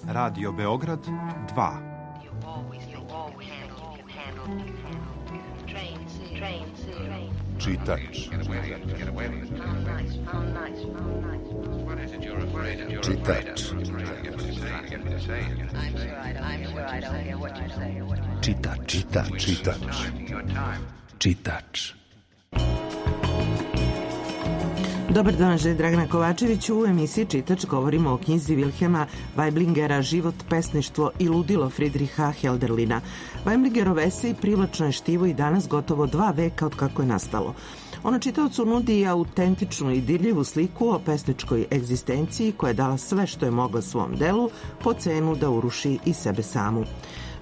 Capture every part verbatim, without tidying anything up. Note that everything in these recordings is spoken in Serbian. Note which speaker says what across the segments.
Speaker 1: Radio Beograd dva.
Speaker 2: Čitač. Čitač. Čitač. Čitač. Čitač. Čitač.
Speaker 3: Dobar dan, želj Dragana Kovačević. U emisiji Čitač govorimo o knjizi Vilhelma Weiblingera Život, pesništvo i ludilo Friedricha Hölderlina. Weiblingerov esej privlačno je štivo i danas gotovo dva veka od kako je nastalo. Ono čitaocu nudi autentičnu i dirljivu sliku o pesničkoj egzistenciji koja je dala sve što je mogla svom delu po cenu da uruši i sebe samu.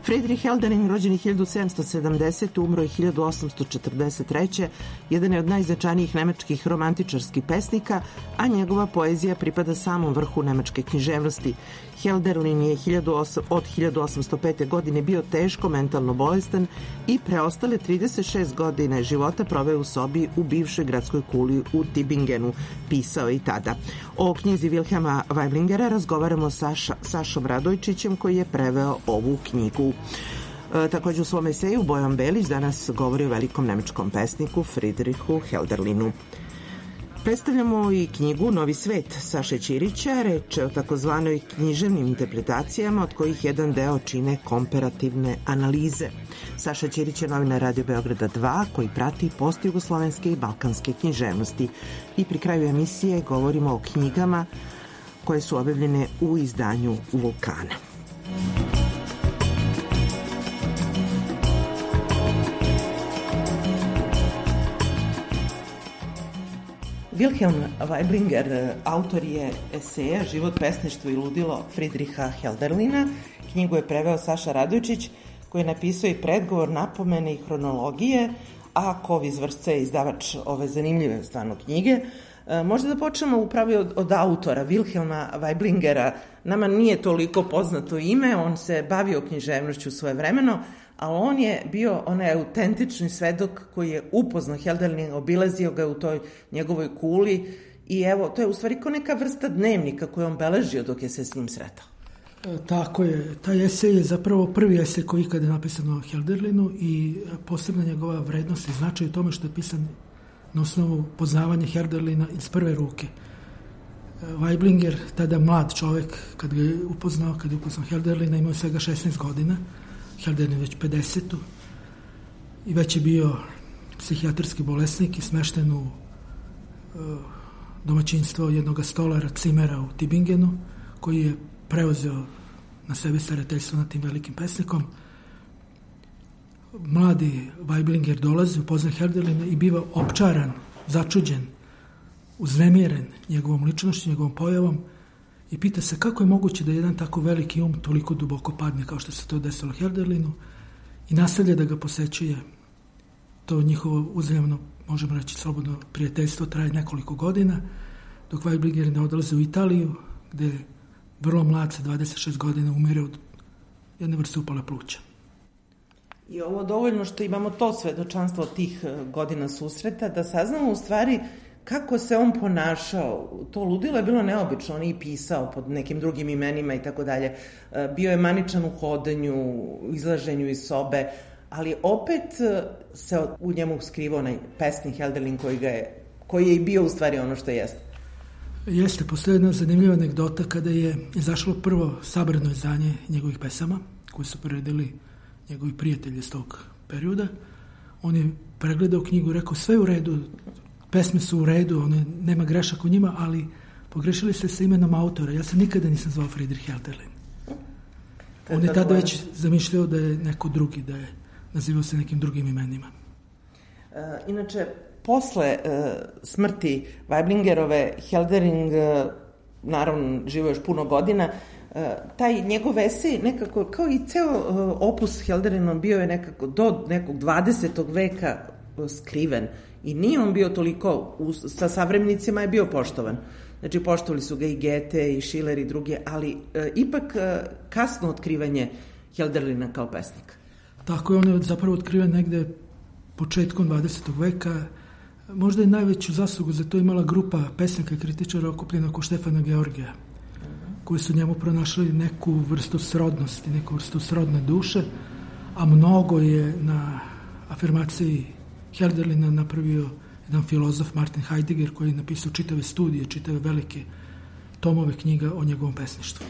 Speaker 3: Friedrich Hölderlin, rođen hiljadu sedamsto sedamdesete. umro je hiljadu osamsto četrdeset treće. jedan je od najznačajnijih nemačkih romantičarskih pesnika, a njegova poezija pripada samom vrhu nemačke književnosti. Hölderlin je od hiljadu osamsto pete. godine bio teško mentalno bolestan i preostale trideset šest godine života proveo u sobi u bivšoj gradskoj kuli u Tübingenu. Pisao je i tada. O knjizi Vilhelma Weiblingera razgovaramo sa Sašom Radojčićem koji je preveo ovu knjigu. E, također u svom eseju Bojan Belić danas govori o velikom nemačkom pesniku Friedrichu Hölderlinu. Predstavljamo i knjigu Novi svet Saše Ćirića. Reč je o takozvanoj književnim interpretacijama od kojih jedan deo čine komparativne analize. Saša Ćirić je novinar Radio Beograda dva koji prati postjugoslovenske i balkanske književnosti. I pri kraju emisije govorimo o knjigama koje su objavljene u izdanju Vulkana. Vilhelm Weiblinger, autor je eseja Život, pesništvo i ludilo Friedricha Hölderlina. Knjigu je preveo Saša Radojčić, koji je napisao i predgovor, napomene i hronologije, a Kov iz Vršca je izdavač ove zanimljive stvarno knjige. Možda da počnemo upravo od, od autora, Vilhelma Weiblingera. Nama nije toliko poznato ime, on se bavio književnošću svojevremeno, ali on je bio onaj autentični svedok koji je upoznao Hölderlina, obilazio ga u toj njegovoj kuli i evo, to je u stvari kao neka vrsta dnevnika koju on beležio dok je se s njim sretao.
Speaker 4: E, tako je. Taj esej je zapravo prvi esej koji ikada je napisan o Hölderlinu i posebna njegova vrednost i značaj u tome što je pisan na osnovu poznavanja Hölderlina iz prve ruke. Weiblinger, tada mlad čovek, kad ga je upoznao, kad je upoznao Hölderlina, imao svega šesnaest godina, Hölderlin već pedeset i već je bio psihijatarski bolesnik i smešten u uh, domaćinstvo jednog stolara Cimera u Tübingenu, koji je preuzeo na sebe starateljstvo nad tim velikim pesnikom. Mladi Weiblinger dolazi, upozna Hölderlina i biva opčaran, začuđen, uznemiren njegovom ličnošću, njegovom pojavom i pita se kako je moguće da jedan tako veliki um toliko duboko padne kao što se to desilo Hölderlinu i nastavlja da ga posećuje. To njihovo uzajamno, možemo reći slobodno, prijateljstvo traje nekoliko godina, dok Weiblinger ne odlaze u Italiju, gde je vrlo mlad sa dvadeset šest godina umire od jedne vrste upale pluća.
Speaker 3: I ovo dovoljno što imamo to svedočanstvo od tih godina susreta, da saznamo u stvari kako se on ponašao. To ludilo je bilo neobično, on je i pisao pod nekim drugim imenima i tako dalje. Bio je maničan u hodanju, u izlaženju iz sobe, ali opet se u njemu skrivao onaj pesnik Hölderlin koji, ga je, koji je i bio u stvari ono što jeste.
Speaker 4: Jeste, postoji jedna zanimljiva anegdota kada je izašlo prvo sabrano izdanje njegovih pesama, koje su priredili njegovi prijatelji iz tog perioda. On je pregledao knjigu i rekao sve u redu, pesme su u redu, one, nema grešaka u njima, ali pogrešili ste sa imenom autora. Ja se nikada nisam zvao Friedrich Hölderlin. On je tada već zamišljao da je neko drugi, da je nazivao se nekim drugim imenima.
Speaker 3: E, inače, posle e, smrti Weiblingerove, Hölderlin, e, naravno, živo još puno godina, e, taj njegov esej nekako, kao i ceo e, opus Hölderlinom, bio je nekako do nekog dvadesetog veka skriven i nije on bio toliko, u, sa savremenicima je bio poštovan. Znači, poštovali su ga i Goethe i Schiller i druge, ali e, ipak e, kasno otkrivanje Hölderlina kao pesnika.
Speaker 4: Tako je, on je zapravo otkriven negde početkom dvadesetog veka. Možda je najveću zaslugu za to imala grupa pesnika i kritičara okupljena oko Štefana Georgija, koji su njemu pronašli neku vrstu srodnosti, neku vrstu srodne duše, a mnogo je na afirmaciji Hölderlina napravio jedan filozof Martin Heidegger, koji je napisao čitave studije, čitave velike tomove knjiga o njegovom pesništvu.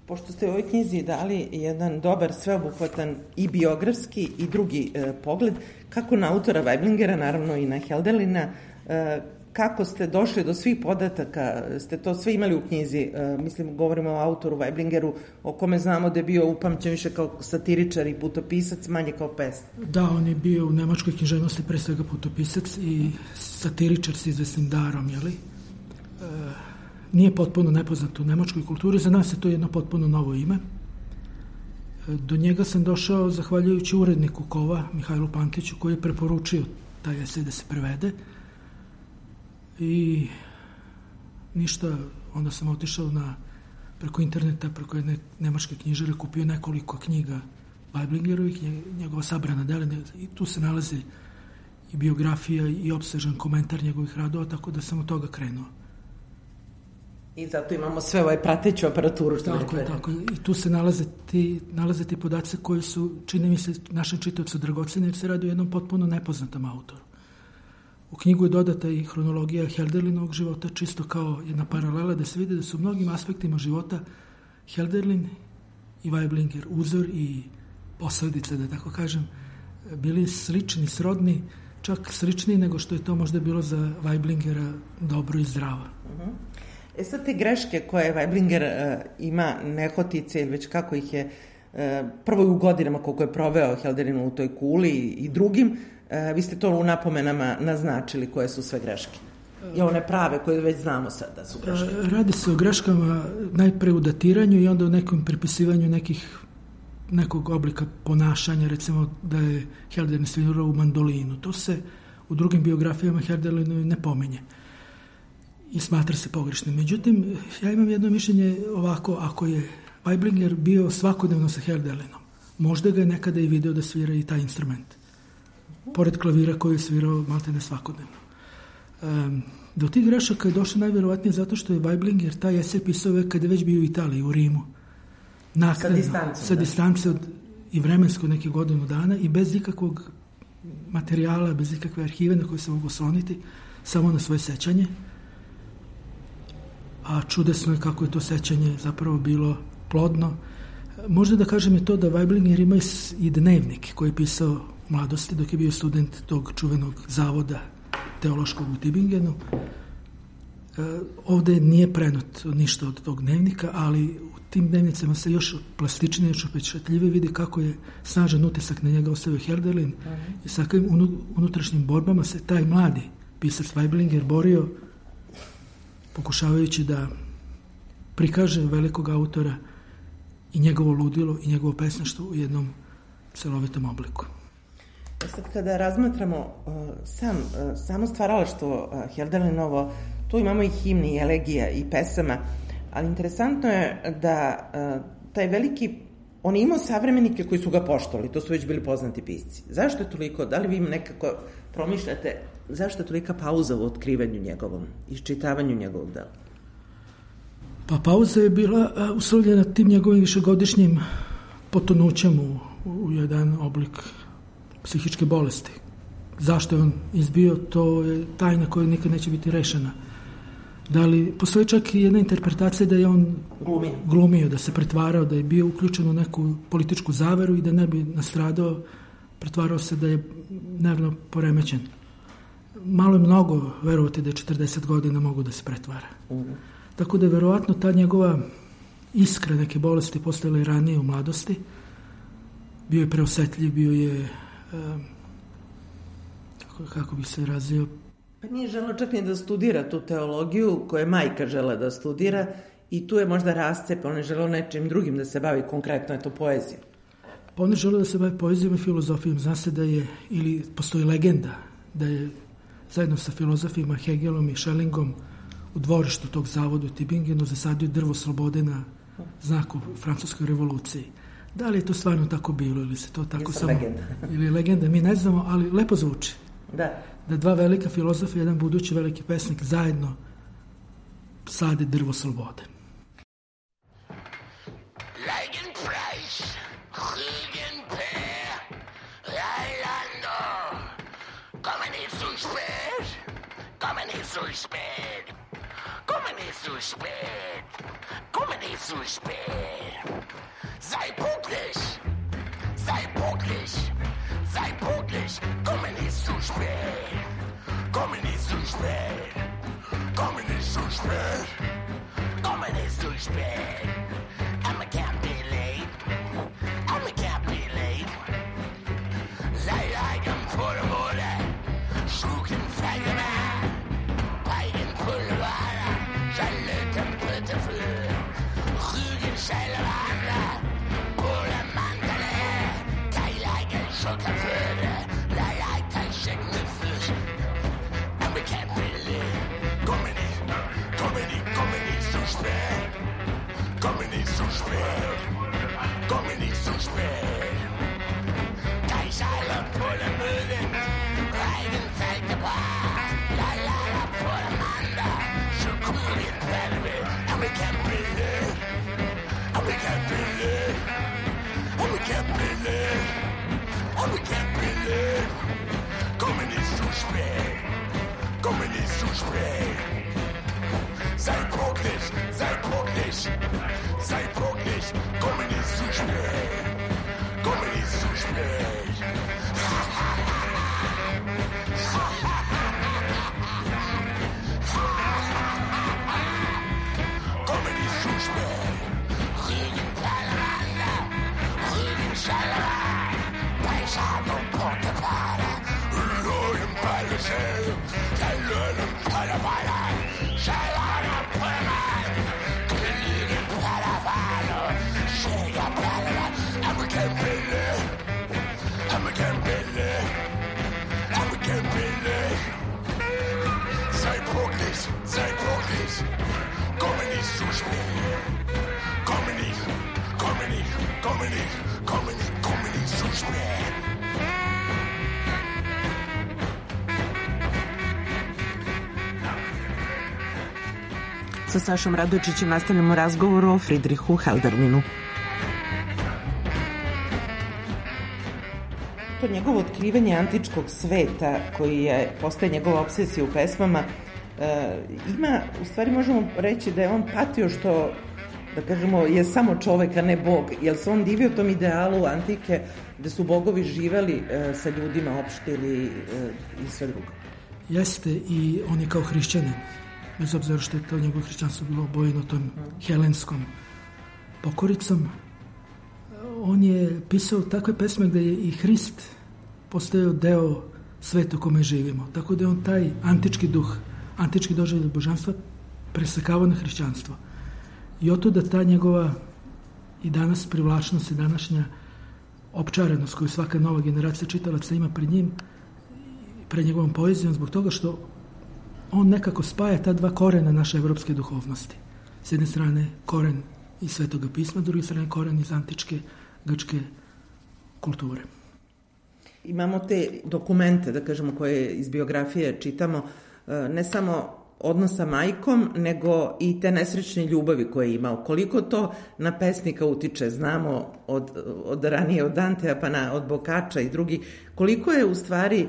Speaker 3: Pošto ste u ovoj knjizi dali jedan dobar, sveobuhvatan i biografski i drugi e, pogled, kako na autora Weiblingera, naravno i na Hölderlina, e, kako ste došli do svih podataka, ste to sve imali u knjizi, e, mislim, govorimo o autoru Weiblingeru, o kome znamo da je bio upamćen više kao satiričar i putopisac, manje kao pesnik.
Speaker 4: Da, on je bio u nemačkoj književnosti pre svega putopisac i satiričar s izvesnim darom, jeli? E, nije potpuno nepoznat u nemačkoj kulturi, za nas je to jedno potpuno novo ime. Do njega sam došao zahvaljujući uredniku Kova, Mihajlu Pantiću, koji je preporučio taj esej da se prevede. I ništa, onda sam otišao na, preko interneta, preko jedne nemačke knjižare, kupio nekoliko knjiga Weiblingerovih, njegova sabrana dela, i tu se nalazi i biografija i opsežan komentar njegovih radova, tako da sam od toga krenuo.
Speaker 3: I zato imamo sve ovaj prateću aparaturu. Što
Speaker 4: tako je, tako je. I tu se nalaze ti, nalaze ti podaci koji su, čini mi se, našem čitaocu dragoceni, jer se radi o jednom potpuno nepoznatom autoru. U knjigu je dodata i hronologija Hölderlinovog života, čisto kao jedna paralela, da se vidi da su u mnogim aspektima života Hölderlin i Weiblinger, uzor i posledice, da tako kažem, bili slični, srodni, čak sličniji nego što je to možda bilo za Weiblingera dobro i zdravo.
Speaker 3: Uh-huh. E sad te greške koje Weiblinger uh, ima nehotice, ili već kako ih je uh, prvo u godinama koliko je proveo Hölderlin u toj kuli i, i drugim, uh, vi ste to u napomenama naznačili koje su sve greške. I one prave koje već znamo sad da su greške.
Speaker 4: Radi se o greškama najpre u datiranju i onda o nekom pripisivanju nekih nekog oblika ponašanja, recimo da je Hölderlin svirao u mandolinu. To se u drugim biografijama Hölderlinu ne pominje i smatra se pogrešnim. Međutim, ja imam jedno mišljenje ovako, ako je Weiblinger bio svakodnevno sa Hölderlinom, možda ga je nekada i video da svira i taj instrument, pored klavira koji je svirao maltene svakodnevno. Um, do tih grešaka je došlo najvjerovatnije zato što je Weiblinger taj esej pisao kad je već bio u Italiji, u Rimu. Nakredno, sa distancom, sa distance od, i vremensko neke godinu dana i bez ikakvog materijala, bez ikakve arhive na koje se mogu osloniti, samo na svoje sećanje. A čudesno je kako je to sećanje zapravo bilo plodno. Možda da kažem je to da Weiblinger ima i dnevnik koji je pisao u mladosti dok je bio student tog čuvenog zavoda teološkog u Tübingenu. E, ovde nije prenot ništa od tog dnevnika, ali u tim dnevnicama se još plastičnije, još upečatljivije vidi kako je snažan utisak na njega ostavio Hölderlin uh-huh. i sa kakvim unutrašnjim borbama se taj mladi pisac Weiblinger borio, pokušavajući da prikaže velikog autora i njegovo ludilo i njegovo pesništvo u jednom celovitom obliku.
Speaker 3: Sad kada razmatramo uh, sam, uh, samo stvaralaštvo uh, Hölderlinovo, tu imamo i himni, i elegija, i pesama, ali interesantno je da uh, taj veliki, on je imao savremenike koji su ga poštovali, to su već bili poznati pisci. Zašto je toliko, da li vi nekako promišljate, zašto je tolika pauza u otkrivanju njegovom, iščitavanju njegovog dela?
Speaker 4: Pa pauza je bila uh, uslovljena tim njegovim višegodišnjim potonućem u, u jedan oblik psihičke bolesti. Zašto je on izbio, to je tajna koja nikad neće biti rešena. Da li, postoji čak i jedna interpretacija da je on glumio. glumio, da se pretvarao, da je bio uključen u neku političku zaveru i da ne bi nastradao, pretvarao se da je nervno poremećen. Malo je mnogo verovati da je četrdeset godina mogu da se pretvara. Mm. Tako da je verovatno ta njegova iskra neke bolesti postojala i ranije u mladosti. Bio je preosetljiv, bio je Um, kako, kako bi se razio.
Speaker 3: Pa nije želeo čak ni da studira tu teologiju koju je majka žela da studira i tu je možda rascep, on je želeo nečim drugim da se bavi, konkretno je to poezija.
Speaker 4: Pa on je želeo da se bavi poezijom i filozofijom. Zna se da je, ili postoji legenda, da je zajedno sa filozofima Hegelom i Schellingom u dvorištu tog zavoda u Tübingenu zasadio drvo slobode na znaku francuskoj revoluciji. Da li je to stvarno tako bilo ili se to tako samo...
Speaker 3: Legenda.
Speaker 4: Ili legenda, mi ne znamo, ali lepo zvuči.
Speaker 3: Da.
Speaker 4: Da dva velika filozofa i jedan budući veliki pesnik zajedno sade drvo slobode.
Speaker 5: Eigenpreis, Rügenpeer, Eilando. Komme nicht zu spät, komme nicht zu spät, komme nicht zu spät, komme nicht zu spät. Sei pünktlich, sei pünktlich, sei pünktlich, komme nicht zu spät, komme nicht zu spät, komme nicht zu spät, komme nicht zu spät. I can't be late, I can't be late. Sei eigen vor der Mode, schlucken Feigen, Peigen Pulver, Schalöten Pütte für, Rügen Scheilwander, Pole Mandele, Keileigen Schockerföde, Leiter Schicken Fisch. And we can't be late. Komm nicht, komm nicht, komm nicht zu spät. Komm nicht zu spät, komm nicht zu spät. Kaiserle Pulle Müden, Reigen Zeitgebracht. La la la Pulle Manda, Schukurien Pferde. And we can't be late, and we can't be late, and we can't be late, and we can't be late. Komm nicht zu spät, komm nicht zu spät. Sei pünktlich, sei pünktlich, sei pünktlich, komm nicht zu spät, komm nicht zu spät. Komm nicht zu spät. Rügen Palmanda, Rügen Schalala, Beischard und Portepala, Rügen Palmesel, der Löwen Palmala, Schalala. And we can't be late, and we can't be late, and we can't be late. Sei pünktlich, sei pünktlich, komme nicht zu spät. Komme nicht, komme nicht, komme nicht, komme nicht, komme nicht zu spät.
Speaker 3: Sa Sašom Radojičićem nastavljamo razgovor o Friedrichu Hölderlinu. To njegovo otkrivanje antičkog sveta, koji je postaje njegova obsesija u pesmama, e, ima, u stvari možemo reći da je on patio što, da kažemo, je samo čovek, a ne bog, jer se on divio tom idealu antike gde su bogovi živeli e, sa ljudima, opštili e, i sve drugo.
Speaker 4: Jeste, i on je kao hrišćanin, bez obzira što je to njegovo hrišćanstvo bilo obojeno tom helenskom pokoricom. On je pisao takve pesme gde je i Hrist postojao deo sveta u kome živimo. Tako da je on taj antički duh, antički doživljaj božanstva presekavao na hrišćanstvo. I oto da ta njegova i danas privlačnost i današnja opčarenost koju svaka nova generacija čitalaca ima pred njim, pred njegovom poezijom, zbog toga što on nekako spaja ta dva korena naše evropske duhovnosti. S jedne strane koren iz Svetoga pisma, s druge strane koren iz antičke grčke kulture.
Speaker 3: Imamo te dokumente, da kažemo, koje iz biografije čitamo, ne samo odnos sa majkom, nego i te nesrećne ljubavi koje je imao. Koliko to na pesnika utiče, znamo od, od ranije, od Dantea pa na, od Boccaccia i drugi, koliko je u stvari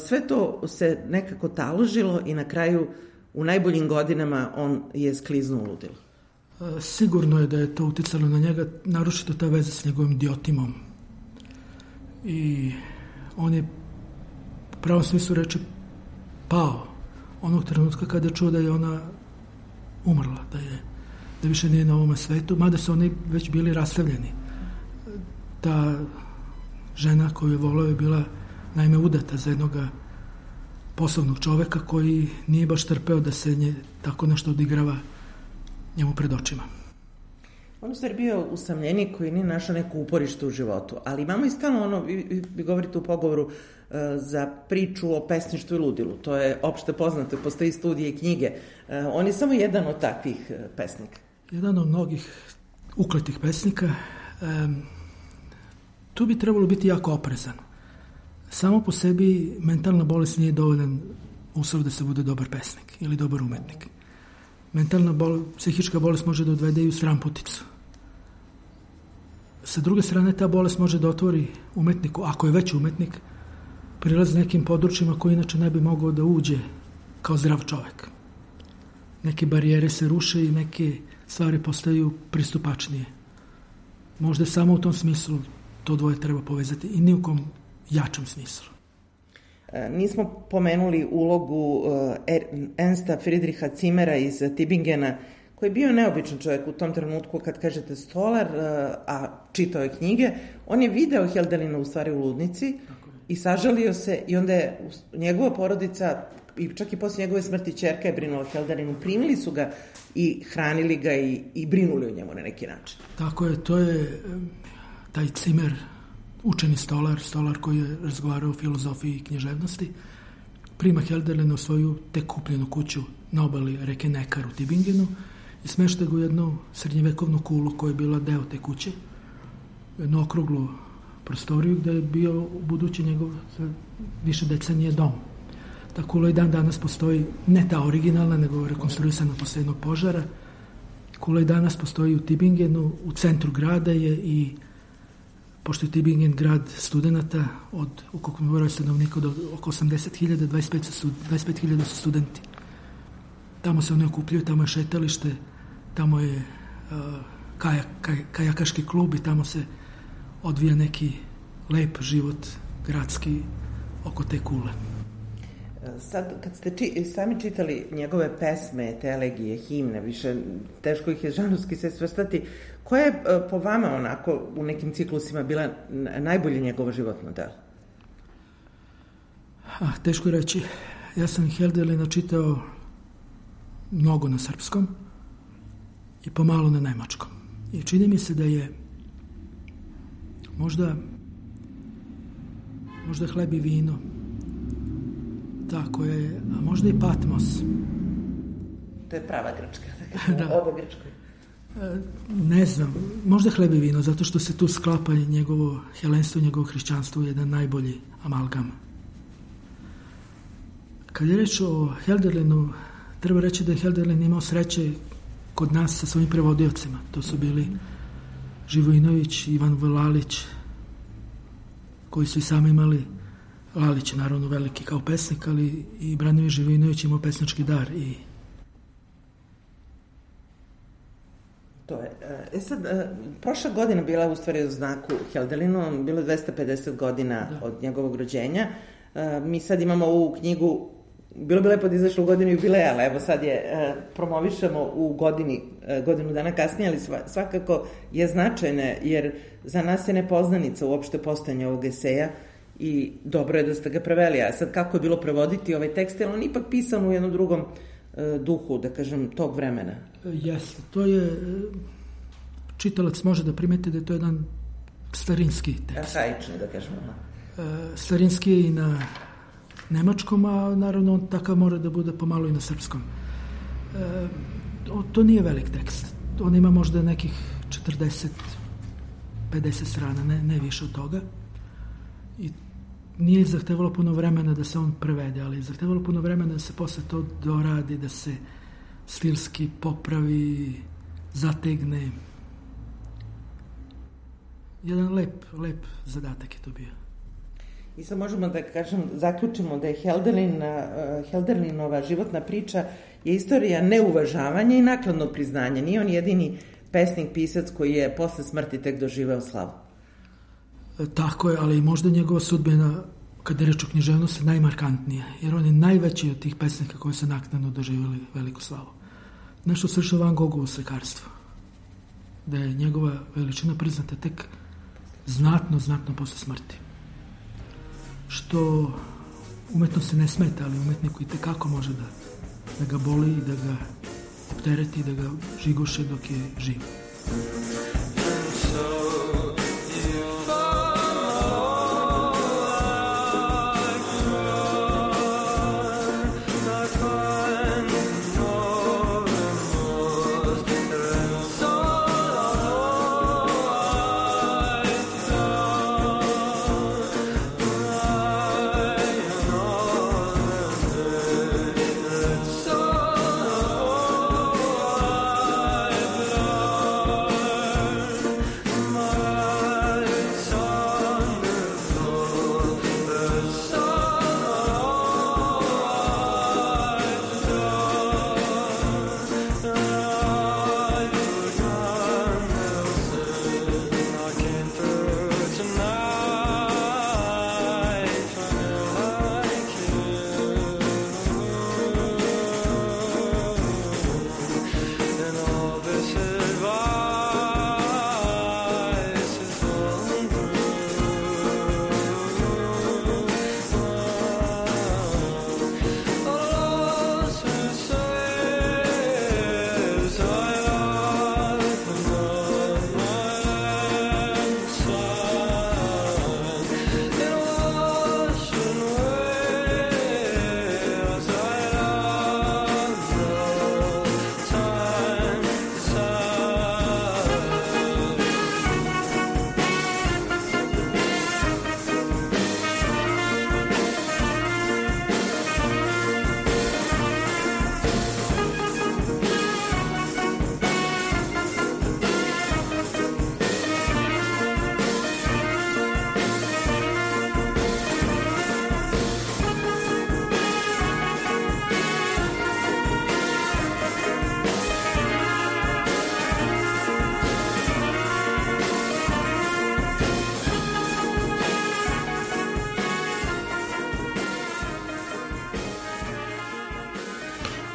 Speaker 3: sve to se nekako taložilo i na kraju u najboljim godinama on je skliznuo u ludilo.
Speaker 4: Sigurno je da je to uticalo na njega, naročito ta veza s njegovim Diotimom. I on je u pravom smislu reči pao onog trenutka kada je čuo da je ona umrla, da je da više nije na ovom svetu, mada su oni već bili rastavljeni. Ta žena koju je volao je bila naime udata za jednog poslovnog čoveka koji nije baš trpeo da se nje tako nešto odigrava njemu pred očima.
Speaker 3: On u stvari bio usamljenik koji nije našao neko uporište u životu, ali imamo i stalno ono, vi, vi govorite u pogovoru uh, za priču o pesništvu i ludilu, to je opšte poznato, postoji studije i knjige, uh, on je samo jedan od takvih uh, pesnika.
Speaker 4: Jedan od mnogih ukletih pesnika, um, tu bi trebalo biti jako oprezan. Samo po sebi mentalna bolest nije dovoljan uslov da se bude dobar pesnik ili dobar umetnik. Mentalna bol, psihička bolest može da odvede i u sramputicu. sa druge strane, ta bolest može da otvori umetniku, ako je već umetnik, prilaz nekim područjima koji inače ne bi mogao da uđe kao zdrav čovek. Neke barijere se ruše i neke stvari postaju pristupačnije. Možda samo u tom smislu to dvoje treba povezati i ni u kom jačem smislu.
Speaker 3: Nismo pomenuli ulogu Ernsta Friedricha Zimmera iz Tübingena, koji je bio neobičan čovjek u tom trenutku kad kažete stolar, a čitao je knjige. On je video Hölderlina u stvari u ludnici i sažalio se i onda je njegova porodica i čak i posle njegove smrti ćerka je brinula Hölderlinu. Primili su ga i hranili ga i, i brinuli o njemu na neki način.
Speaker 4: Tako je, to je taj Zimmer, učeni stolar, stolar koji je razgovarao o filozofiji i književnosti, prima Hölderlina u svoju tek kupljenu kuću na obali reke Nekar u Tübingenu i smešta ga u jednu srednjevekovnu kulu koja je bila deo te kuće, jednu okruglu prostoriju gde je bio u budući njegov više decenije dom. Ta kula i dan danas postoji, ne ta originalna, nego rekonstruisana posle jednog požara. Kula i danas postoji u Tübingenu, u centru grada je i pošto je Tübingen grad studenta, od ukupnog broja stanovnika od oko osamdeset hiljada, dvadeset pet hiljada su studenti. Tamo se oni okupljaju, tamo je šetalište, tamo je uh, kajak, kaj, kajakaški klub i tamo se odvija neki lep život gradski oko te kule.
Speaker 3: Sad, kad ste či, sami čitali njegove pesme, te elegije, himne, više teško ih je žanrovski se svrstati, koja je po vama onako u nekim ciklusima bila najbolje njegovo životno delo?
Speaker 4: Ah, teško je reći. Ja sam Hölderlina čitao mnogo na srpskom i pomalo na nemačkom. I čini mi se da je možda možda Hleb i vino, tako je, a možda i Patmos.
Speaker 3: To je prava grčka, da, oba grčkoj.
Speaker 4: Ne znam, možda Hleb i vino, zato što se tu sklapa njegovo helenstvo, njegovo hrišćanstvo u jedan najbolji amalgam. Kad je reč o Hölderlinu, treba reći da je Hölderlin imao sreće kod nas sa svojim prevodiocima. To su bili Živojinović, Ivan Vlalić, koji su i sami imali, Lalić je naravno veliki kao pesnik, ali i Branimir Živojinović imao pesnički dar. I...
Speaker 3: To je. E sad, prošla godina bila u stvari u znaku Hölderlinu, bilo je dvesta pedeset godina da. Od njegovog rođenja. Mi sad imamo ovu knjigu, bilo bi lepo da izašlo u godinu jubileja, ali evo sad je promovišemo u godini, godinu dana kasnije, ali svakako je značajna, jer za nas je nepoznanica uopšte postojanje ovog eseja i dobro je da ste ga preveli. A sad kako je bilo prevoditi ovaj tekst, jer on ipak pisan u jednom drugom duhu, da kažem, tog vremena.
Speaker 4: Jeste, to je, čitalac može da primeti da je to jedan starinski tekst.
Speaker 3: Arhaični, da kažemo.
Speaker 4: Starinski je i na nemačkom, a naravno on takav mora da bude pomalo i na srpskom. E, to, to nije velik tekst. On ima možda nekih četrdeset pedeset strana, ne, ne više od toga. I nije zahtevalo puno vremena da se on prevede, ali je zahtevalo puno vremena da se posle to doradi, da se stilski popravi, zategne. Jedan lep, lep zadatak je to bio.
Speaker 3: I sad možemo da kažem, zaključimo da je Hölderlin, Hölderlinova životna priča je istorija neuvažavanja i nakladnog priznanja. Nije on jedini pesnik, pisac koji je posle smrti tek doživeo slavu.
Speaker 4: E, tako je, ali možda njegova sudbina, kada je reč o književnosti, najmarkantnija, jer on je najveći od tih pesnika koji su naknadno doživjeli veliku slavu. Nešto slično Van Gogovo slikarstvo, da je njegova veličina priznata tek znatno, znatno posle smrti. Što umetnosti ne smeta, ali umetniku i tekako može da, da ga boli i da ga optereti, da ga žigoše dok je živ.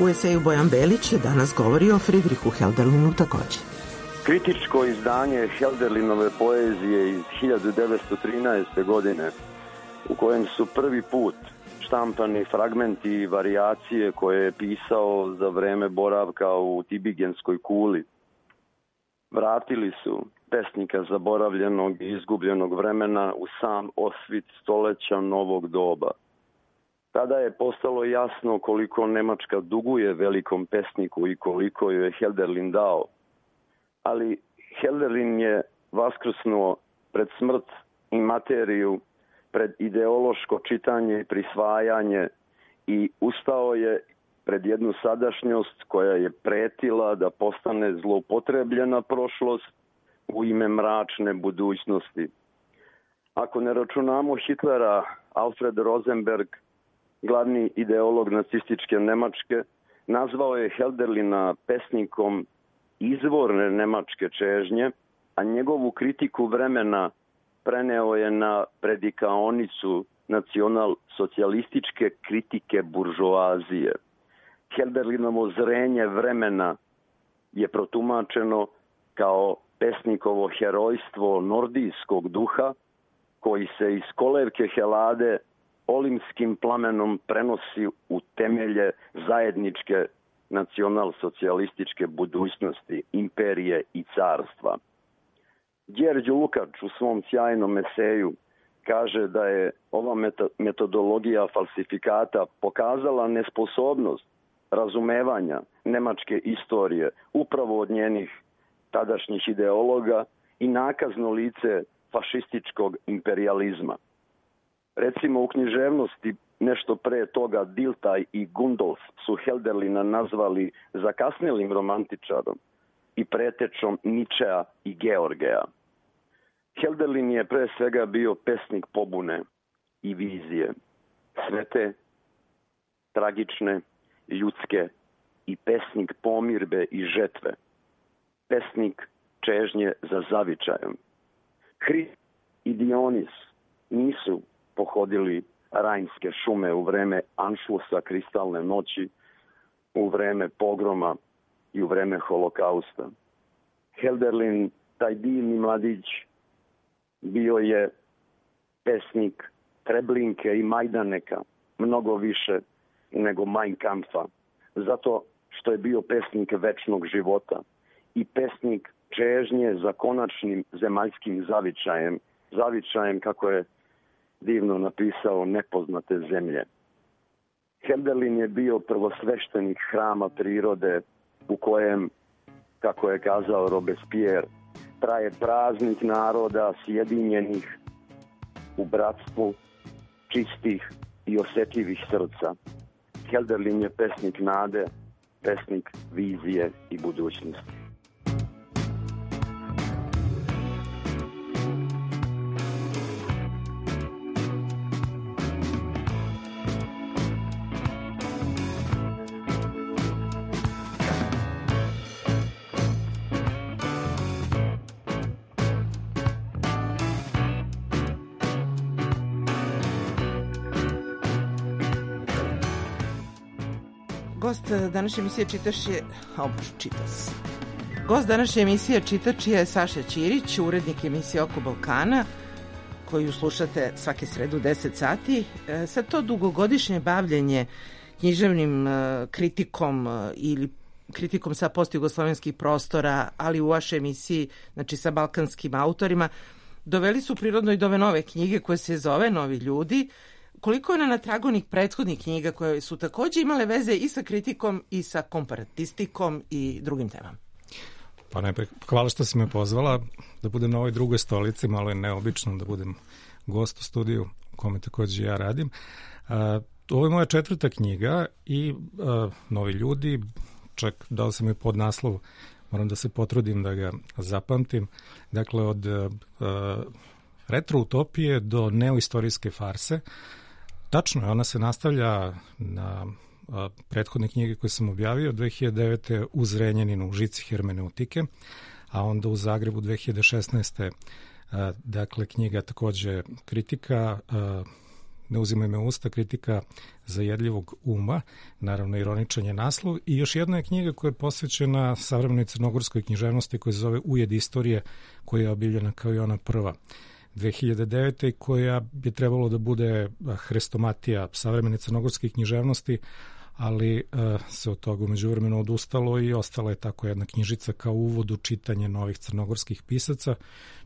Speaker 3: U eseju Bojan Belić danas govori o Friedrichu Hölderlinu takođe.
Speaker 6: Kritičko izdanje Hölderlinove poezije iz hiljadu devetsto trinaeste. godine, u kojem su prvi put štampani fragmenti i varijacije koje je pisao za vreme boravka u Tibigenskoj kuli, vratili su pesnika zaboravljenog i izgubljenog vremena u sam osvit stoleća novog doba. Tada je postalo jasno koliko Nemačka duguje velikom pesniku i koliko joj je Hölderlin dao. Ali Hölderlin je vaskrsnuo pred smrt i materiju, pred ideološko čitanje i prisvajanje i ustao je pred jednu sadašnjost koja je pretila da postane zloupotrebljena prošlost u ime mračne budućnosti. Ako ne računamo Hitlera, Alfred Rosenberg, glavni ideolog nacističke Nemačke, nazvao je Hölderlina pesnikom izvorne nemačke čežnje, a njegovu kritiku vremena preneo je na predikaonicu nacional-socijalističke kritike buržoazije. Hölderlinovo zrenje vremena je protumačeno kao pesnikovo herojstvo nordijskog duha koji se iz kolevke Helade olimskim plamenom prenosi u temelje zajedničke nacional-socijalističke budućnosti, imperije i carstva. Đerđo Lukač u svom sjajnom eseju kaže da je ova metodologija falsifikata pokazala nesposobnost razumevanja nemačke istorije upravo od njenih tadašnjih ideologa i nakazno lice fašističkog imperializma. Recimo u književnosti nešto pre toga Dilthey i Gundolf su Hölderlina nazvali zakasnelim romantičarom i pretečom Ničea i Georgea. Hölderlin je pre svega bio pesnik pobune i vizije, svete, tragične, ljudske i pesnik pomirbe i žetve, pesnik čežnje za zavičajem. Hrist i Dionis nisu pohodili Rajnske šume u vreme Anšlusa kristalne noći, u vreme pogroma i u vreme holokausta. Hölderlin, taj divni mladić, bio je pesnik Treblinke i Majdaneka, mnogo više nego Mein Kampfa, zato što je bio pesnik večnog života i pesnik čežnje za konačnim zemaljskim zavičajem, zavičajem kako je divno napisao Nepoznate zemlje. Hölderlin je bio prvosveštenik hrama prirode u kojem, kako je kazao Robespierre, traje praznik naroda sjedinjenih u bratstvu čistih i osjetljivih srca. Hölderlin je pesnik nade, pesnik vizije i budućnosti.
Speaker 3: Gost današnje emisije čitač je... O, čitas. Gost današnje emisije čitač je Saša Ćirić, urednik emisije Oko Balkana, koju slušate svake srede u deset sati. Sad to dugogodišnje bavljenje književnim kritikom ili kritikom sa postjugoslovenskih prostora, ali u vašoj emisiji, znači sa balkanskim autorima, doveli su prirodno i do ove nove knjige koje se zove Novi ljudi. Koliko je na tragu onih prethodnih knjiga koje su takođe imale veze i sa kritikom i sa komparatistikom i drugim temama?
Speaker 7: Pa najpre, hvala što si me pozvala da budem na ovoj drugoj stolici, malo je neobično da budem gost u studiju u kome takođe ja radim. A, ovo je moja četvrta knjiga i a, Novi ljudi, čak dao sam je pod naslov, moram da se potrudim da ga zapamtim, dakle od a, retroutopije do neoistorijske farse. Tačno je, ona se nastavlja na a, prethodne knjige koje sam objavio dve hiljade devete u Zrenjaninu u žici hermeneutike, a onda u Zagrebu dve hiljade šesnaeste. A, dakle, knjiga takođe kritika, a, Ne uzimaj me u usta, kritika zajedljivog uma, naravno ironičan je naslov, i još jedna je knjiga koja je posvećena savremenoj crnogorskoj književnosti koja se zove Ujed istorije, koja je objavljena kao i ona prva dve hiljade devete i koja bi trebalo da bude hrestomatija savremene crnogorske književnosti, ali uh, se od toga umeđu vremenu odustalo i ostala je tako jedna knjižica kao uvod u čitanje novih crnogorskih pisaca,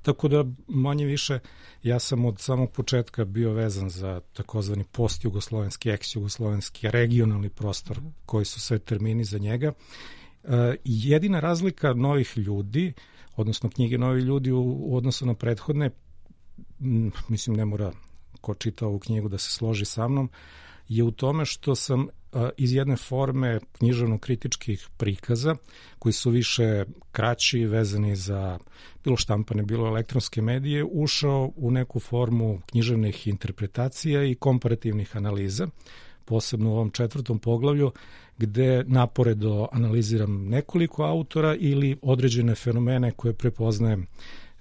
Speaker 7: tako da manje više ja sam od samog početka bio vezan za takozvani post-jugoslovenski, ex-jugoslovenski, regionalni prostor, koji su sve termini za njega. Uh, jedina razlika novih ljudi, odnosno knjige novih ljudi u, u odnosu na prethodne, m, mislim ne mora ko čita ovu knjigu da se složi sa mnom, je u tome što sam iz jedne forme književno-kritičkih prikaza, koji su više kraći, vezani za bilo štampane, bilo elektronske medije, ušao u neku formu književnih interpretacija i komparativnih analiza, posebno u ovom četvrtom poglavlju, gde naporedo analiziram nekoliko autora ili određene fenomene koje prepoznajem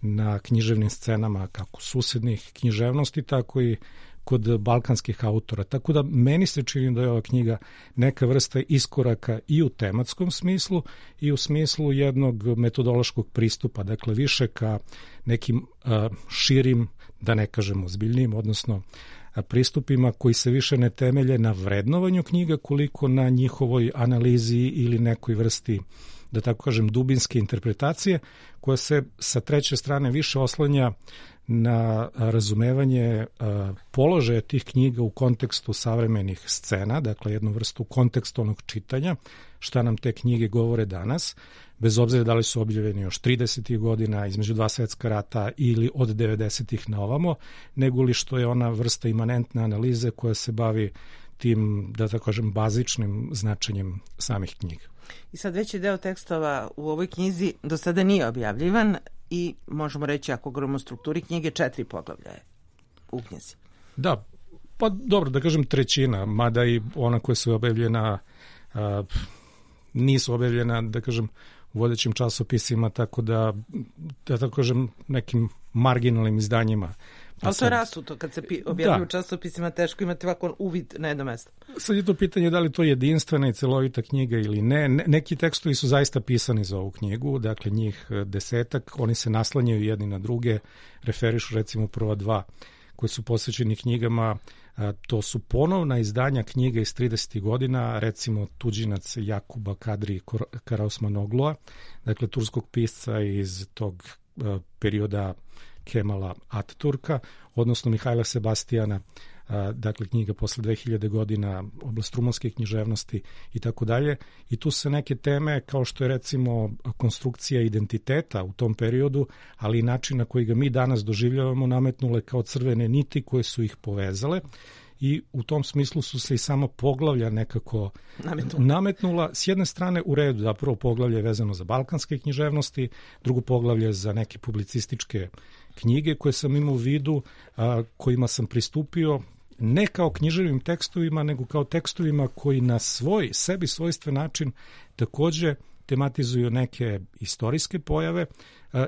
Speaker 7: na književnim scenama kako susednih književnosti, tako i kod balkanskih autora. Tako da meni se čini da je ova knjiga neka vrsta iskoraka i u tematskom smislu i u smislu jednog metodološkog pristupa, dakle više ka nekim uh, širim, da ne kažem ozbiljnijim, odnosno uh, pristupima koji se više ne temelje na vrednovanju knjiga koliko na njihovoj analizi ili nekoj vrsti, da tako kažem, dubinske interpretacije, koja se sa treće strane više oslanja na razumevanje uh, položaja tih knjiga u kontekstu savremenih scena, dakle jednu vrstu kontekstualnog čitanja, šta nam te knjige govore danas, bez obzira da li su objavljeni još tridesetih godina, između dva svetska rata ili od devedesetih na ovamo, nego li što je ona vrsta imanentne analize koja se bavi tim, da tako kažem, bazičnim značenjem samih knjiga.
Speaker 3: I sad veći deo tekstova u ovoj knjizi do sada nije objavljivan i možemo reći, ako govorimo o strukturi knjige, četiri poglavlja je u knjizi.
Speaker 7: Da, pa dobro, da kažem trećina, mada i ona koja su objavljena a, nisu objavljena, da kažem, u vodećim časopisima, tako da, da tako kažem, nekim marginalnim izdanjima.
Speaker 3: Pa ali to je rasuto, kad se objavljuju u časopisima, teško imati ovako uvid na jedno mesto.
Speaker 7: Sad je to pitanje da li to je jedinstvena i celovita knjiga ili ne. Neki tekstovi su zaista pisani za ovu knjigu, dakle njih desetak, oni se naslanjaju jedni na druge, referišu recimo prva dva koji su posvećeni knjigama, to su ponovna izdanja knjiga iz tridesetih godina, recimo Tuđinac Jakuba Kadri Karaosmanoglua, dakle turskog pisca iz tog perioda Kemala Ataturka, odnosno Mihajla Sebastijana, dakle knjiga posle dve hiljade godina, oblast rumunske književnosti i tako dalje. I tu se neke teme kao što je recimo konstrukcija identiteta u tom periodu, ali i način na koji ga mi danas doživljavamo, nametnule kao crvene niti koje su ih povezale. I u tom smislu su se i sama poglavlja nekako nametnula. nametnula. S jedne strane u redu, da prvo poglavlje je vezano za balkanske književnosti, drugo poglavlje za neke publicističke knjige koje sam imao u vidu, a, kojima sam pristupio ne kao književnim tekstovima, nego kao tekstovima koji na svoj, sebi svojstven način takođe tematizuju neke istorijske pojave,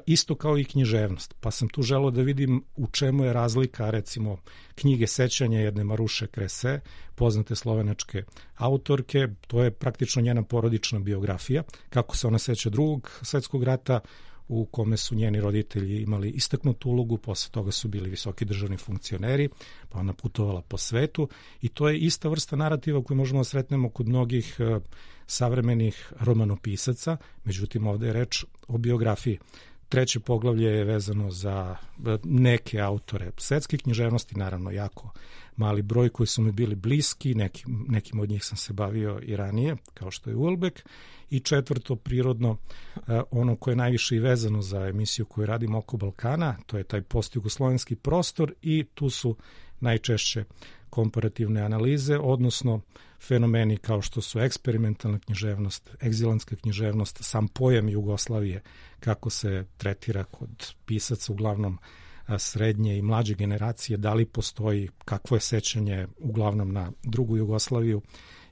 Speaker 7: isto kao i književnost. Pa sam tu želeo da vidim u čemu je razlika, recimo, knjige sećanja jedne Maruše Krese, poznate slovenačke autorke, to je praktično njena porodična biografija, kako se ona seća drugog svetskog rata, u kome su njeni roditelji imali istaknutu ulogu, posle toga su bili visoki državni funkcioneri, pa ona putovala po svetu i to je ista vrsta narativa koju možemo da sretnemo kod mnogih uh, savremenih romanopisaca, međutim ovde je reč o biografiji. Treće poglavlje je vezano za neke autore svetske književnosti, naravno jako mali broj koji su mi bili bliski, nekim, nekim od njih sam se bavio i ranije, kao što je Uelbek, i četvrto, prirodno, ono koje je najviše i vezano za emisiju koju radim oko Balkana, to je taj postjugoslovenski prostor i tu su najčešće komparativne analize, odnosno fenomeni kao što su eksperimentalna književnost, egzilantska književnost, sam pojam Jugoslavije, kako se tretira kod pisaca uglavnom srednje i mlađe generacije, da li postoji, kakvo je sećanje uglavnom na drugu Jugoslaviju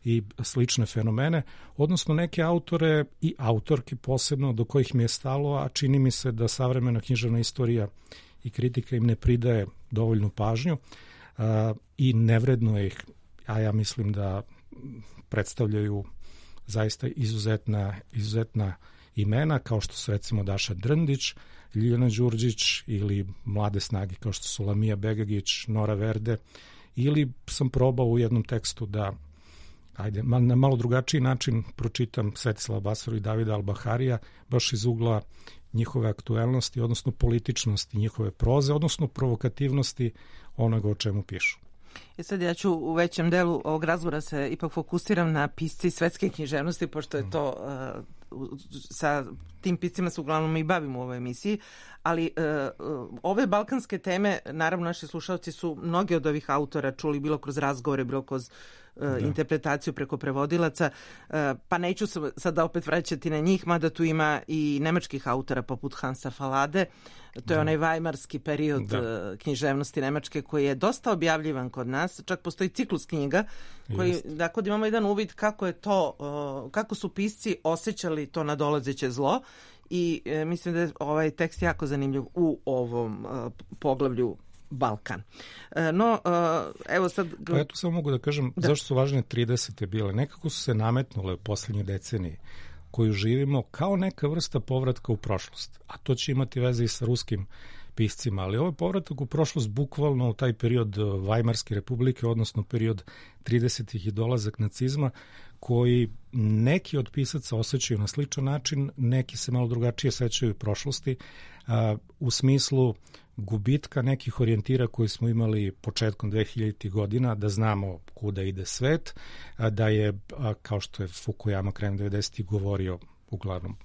Speaker 7: i slične fenomene, odnosno neke autore i autorke posebno do kojih mi je stalo, a čini mi se da savremena književna istorija i kritika im ne pridaje dovoljnu pažnju. i nevredno ih, a ja mislim da predstavljaju zaista izuzetna, izuzetna imena, kao što su recimo Daša Drndić, Ljiljana Đurđić ili mlade snage kao što su Lamija Begagić, Nora Verde, ili sam probao u jednom tekstu da ajde, na malo drugačiji način pročitam Svetislava Basaru i Davida Albaharija, baš iz ugla njihove aktuelnosti, odnosno političnosti njihove proze, odnosno provokativnosti onoga o čemu pišu.
Speaker 3: I sad ja ću u većem delu ovog razgovora se ipak fokusiram na pisci svetske književnosti, pošto je to uh, sa tim piscima se uglavnom i bavimo u ovoj emisiji, ali uh, ove balkanske teme, naravno naši slušalci su mnogi od ovih autora čuli bilo kroz razgovore, bilo kroz uh, interpretaciju preko prevodilaca, uh, pa neću se sada opet vraćati na njih, mada tu ima i nemačkih autora poput Hansa Fallade. To je onaj vajmarski period da. književnosti Nemačke koji je dosta objavljivan kod nas. Čak postoji ciklus knjiga koji, dakle, imamo jedan uvid kako je to, kako su pisci osjećali to nadolazeće zlo i e, mislim da je ovaj tekst jako zanimljiv u ovom e, poglavlju Balkan. E, no, e, evo sad...
Speaker 7: Pa ja tu samo mogu da kažem da. Zašto su važne tridesete bile. Nekako su se nametnule u poslednjoj deceniji koju živimo kao neka vrsta povratka u prošlost. A to će imati veze i sa ruskim piscima, ali ovaj povratak u prošlost bukvalno u taj period Vajmarske republike, odnosno period tridesetih i dolazak nacizma, koji neki od pisaca osjećaju na sličan način, neki se malo drugačije sećaju prošlosti, a, u smislu gubitka nekih orijentira koji smo imali početkom dvehiljaditih godina, da znamo kuda ide svet, da je, kao što je Fukuyama krajem devedesetih govorio, uglavnom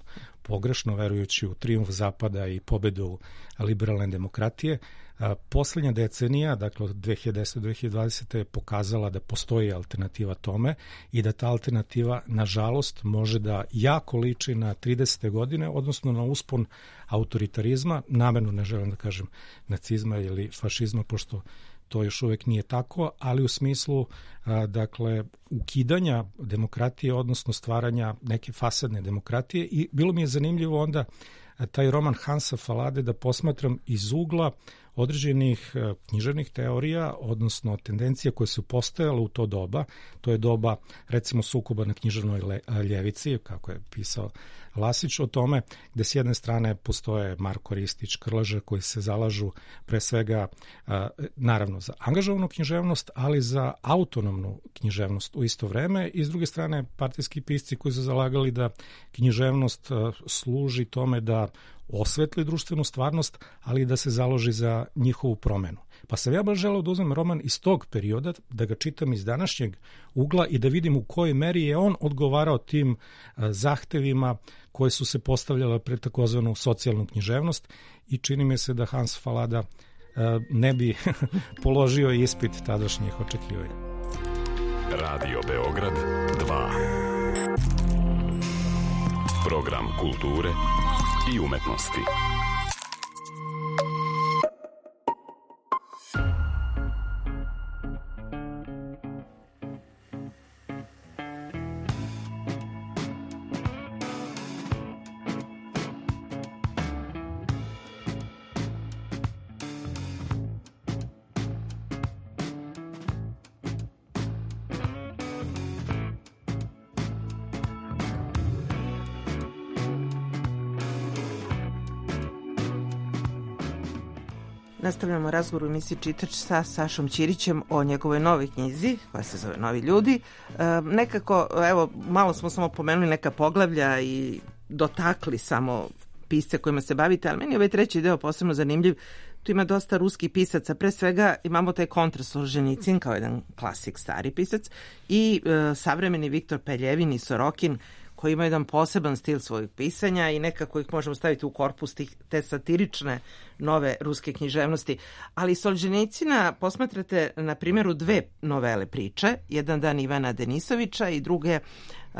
Speaker 7: pogrešno, verujući u trijumf Zapada i pobedu liberalne demokratije. Poslednja decenija, dakle od dve hiljade desete do dve hiljade dvadesete je pokazala da postoji alternativa tome i da ta alternativa, nažalost, može da jako liči na tridesete godine, odnosno na uspon autoritarizma, namerno ne želim da kažem nacizma ili fašizma, pošto to još uvek nije tako, ali u smislu a, dakle ukidanja demokratije, odnosno stvaranja neke fasadne demokratije. I bilo mi je zanimljivo onda a, taj roman Hansa Fallade da posmatram iz ugla određenih a, književnih teorija, odnosno tendencija koje su postojale u to doba. To je doba, recimo, sukoba na književnoj le, a, ljevici, kako je pisao Lasić, o tome gde s jedne strane postoje Marko Ristić, Krleža, koji se zalažu pre svega a, naravno za angažovanu književnost, ali za autonomnu književnost u isto vreme, i s druge strane partijski pisci koji su zalagali da književnost a, služi tome da osvetli društvenu stvarnost, ali da se založi za njihovu promenu. Pa sam ja baš želeo da uzmem roman iz tog perioda, da ga čitam iz današnjeg ugla i da vidim u kojoj meri je on odgovarao tim a, zahtevima koje su se postavljale pred takozvanu socijalnu književnost, i čini mi se da Hans Fallada a, ne bi položio ispit tadašnjih očekivanja.
Speaker 8: Radio Beograd dva. Program kulture i umetnosti.
Speaker 3: Nastavljamo razgovor u emisiji Čitač sa Sašom Ćirićem o njegovoj novoj knjizi koja se zove Novi ljudi. E, nekako, evo, malo smo samo pomenuli neka poglavlja i dotakli samo pisce kojima se bavite, ali meni je ovaj treći deo posebno zanimljiv. Tu ima dosta ruskih pisaca. Pre svega imamo taj kontra Solženicin kao jedan klasik, stari pisac, i e, savremeni Viktor Peljevin i Sorokin, koji ima jedan poseban stil svojih pisanja i nekako ih možemo staviti u korpus tih, te satirične nove ruske književnosti. Ali Solženicina posmatrate na primjeru dve novele priče, jedan dan Ivana Denisovića i druge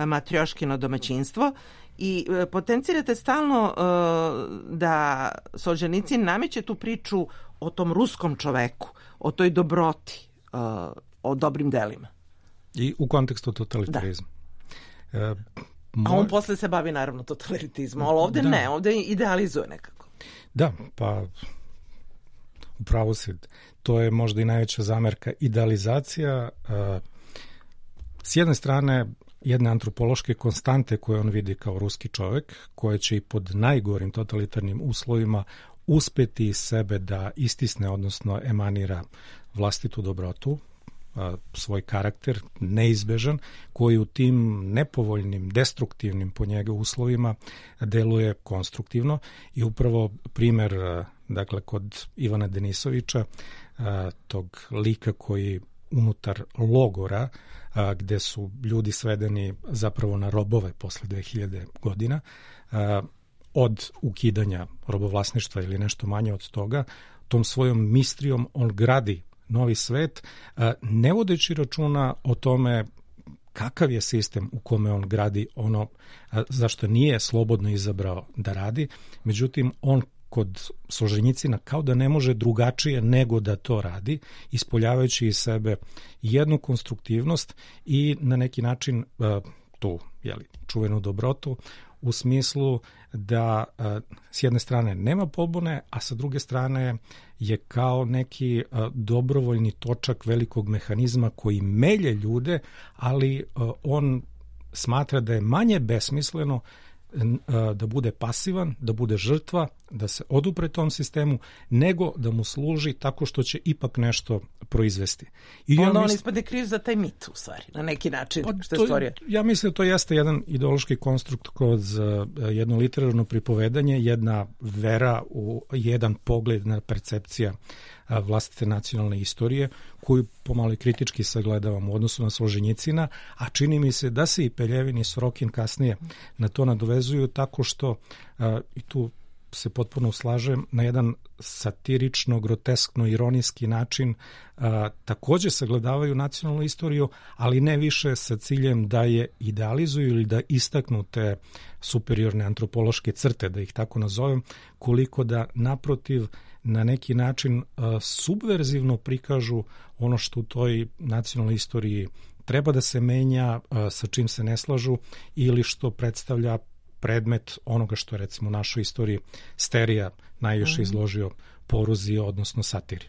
Speaker 3: Matrjoškino domaćinstvo, i potencirate stalno uh, da Solženicin nameće tu priču o tom ruskom čoveku, o toj dobroti, uh, o dobrim delima.
Speaker 7: I u kontekstu totalitarizma.
Speaker 3: Da. Uh, Moj... A on posle se bavi naravno totalitarizmom, ali ovde da. ne, ovde idealizuje nekako.
Speaker 7: Da, pa upravo si, to je možda i najveća zamerka, idealizacija uh, s jedne strane jedne antropološke konstante koje on vidi kao ruski čovjek, koje će i pod najgorim totalitarnim uslovima uspeti iz sebe da istisne, odnosno emanira vlastitu dobrotu, svoj karakter, neizbežan, koji u tim nepovoljnim, destruktivnim po njega uslovima deluje konstruktivno i upravo primer, dakle, kod Ivana Denisovića, tog lika koji unutar logora, gde su ljudi svedeni zapravo na robove posle dve hiljade godina, od ukidanja robovlasništva ili nešto manje od toga, tom svojom mistrijom on gradi novi svet, ne vodeći računa o tome kakav je sistem u kome on gradi ono zašto nije slobodno izabrao da radi, međutim on kod Solženjicina kao da ne može drugačije nego da to radi, ispoljavajući iz sebe jednu konstruktivnost i na neki način tu jeli, čuvenu dobrotu u smislu da s jedne strane nema pobune, a sa druge strane je kao neki dobrovoljni točak velikog mehanizma koji melje ljude, ali on smatra da je manje besmisleno da bude pasivan, da bude žrtva, da se odupre tom sistemu, nego da mu služi tako što će ipak nešto proizvesti.
Speaker 3: I onda ja on misl... ispadne kriv za taj mit, u stvari, na neki način, pa, što je stvorio.
Speaker 7: Ja mislim da to jeste jedan ideološki konstrukt kroz jedno literarno pripovedanje, jedna vera u jedan pogled na percepcija vlastite nacionalne istorije, koju pomalo i kritički sagledavam u odnosu na Solženjicina, a čini mi se da se i Peljevin i Sorokin kasnije na to nadovezuju tako što, i tu se potpuno slažem, na jedan satirično, groteskno, ironijski način a, takođe sagledavaju nacionalnu istoriju, ali ne više sa ciljem da je idealizuju ili da istaknu te superiorne antropološke crte, da ih tako nazovem, koliko da naprotiv na neki način a, subverzivno prikažu ono što u toj nacionalnoj istoriji treba da se menja, a, sa čim se ne slažu ili što predstavlja predmet onoga što je recimo u našoj istoriji Sterija najviše izložio poruzi, odnosno satiri.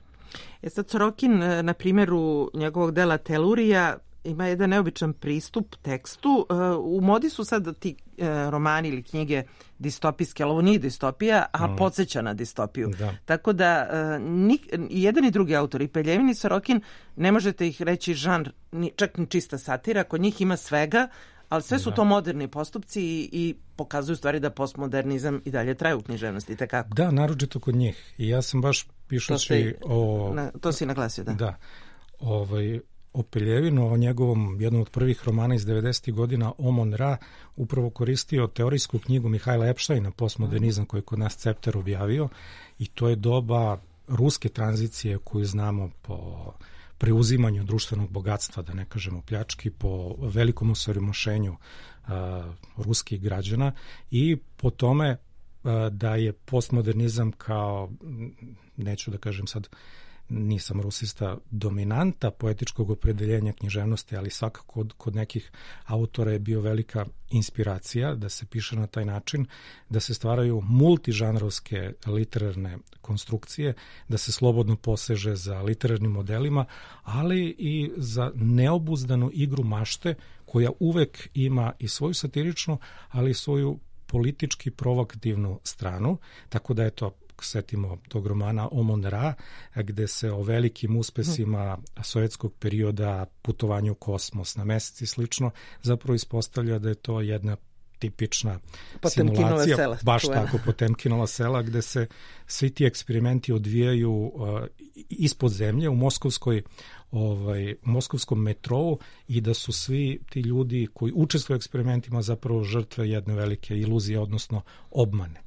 Speaker 3: E sad Sorokin, na primjeru njegovog dela Telurija, ima jedan neobičan pristup tekstu. U modi su sad ti romani ili knjige distopijske, ali ovo nije distopija, a mm. podsjeća na distopiju. Da. Tako da ni, i jedan i drugi autor, i Peljevin i Sorokin, ne možete ih reći žanr, ni, čak ni čista satira, kod njih ima svega, ali sve su da. to moderni postupci i, i pokazuju stvari da postmodernizam i dalje traje u književnosti, tekako.
Speaker 7: Da, naročito kod njih. I ja sam baš pišući
Speaker 3: to
Speaker 7: o...
Speaker 3: Na, to si naglasio, da.
Speaker 7: Da. Ovaj, o Peljevinu, o njegovom jednom od prvih romana iz devedesetih godina, Omon Ra, upravo koristio teorijsku knjigu Mihajla Epštajna, Postmodernizam, koji je kod nas Cepter objavio, i to je doba ruske tranzicije koju znamo po preuzimanju društvenog bogatstva, da ne kažemo pljački, po velikom osiromašenju uh, ruskih građana i po tome uh, da je postmodernizam kao, neću da kažem sad, nisam rusista, dominanta poetičkog opredeljenja književnosti, ali svakako kod, kod nekih autora je bio velika inspiracija da se piše na taj način, da se stvaraju multižanrovske literarne konstrukcije, da se slobodno poseže za literarnim modelima, ali i za neobuzdanu igru mašte koja uvek ima i svoju satiričnu, ali i svoju politički provokativnu stranu, tako da je to setimo tog romana Omon Ra, gde se o velikim uspesima sovjetskog perioda, putovanju u kosmos, na mesec i slično, zapravo ispostavlja da je to jedna tipična simulacija,
Speaker 3: sela,
Speaker 7: baš
Speaker 3: čuvena.
Speaker 7: tako Potemkinova sela, gde se svi ti eksperimenti odvijaju uh, ispod zemlje u moskovskoj ovaj, u moskovskom metrou i da su svi ti ljudi koji učestvuju u eksperimentima zapravo žrtve jedne velike iluzije, odnosno obmane.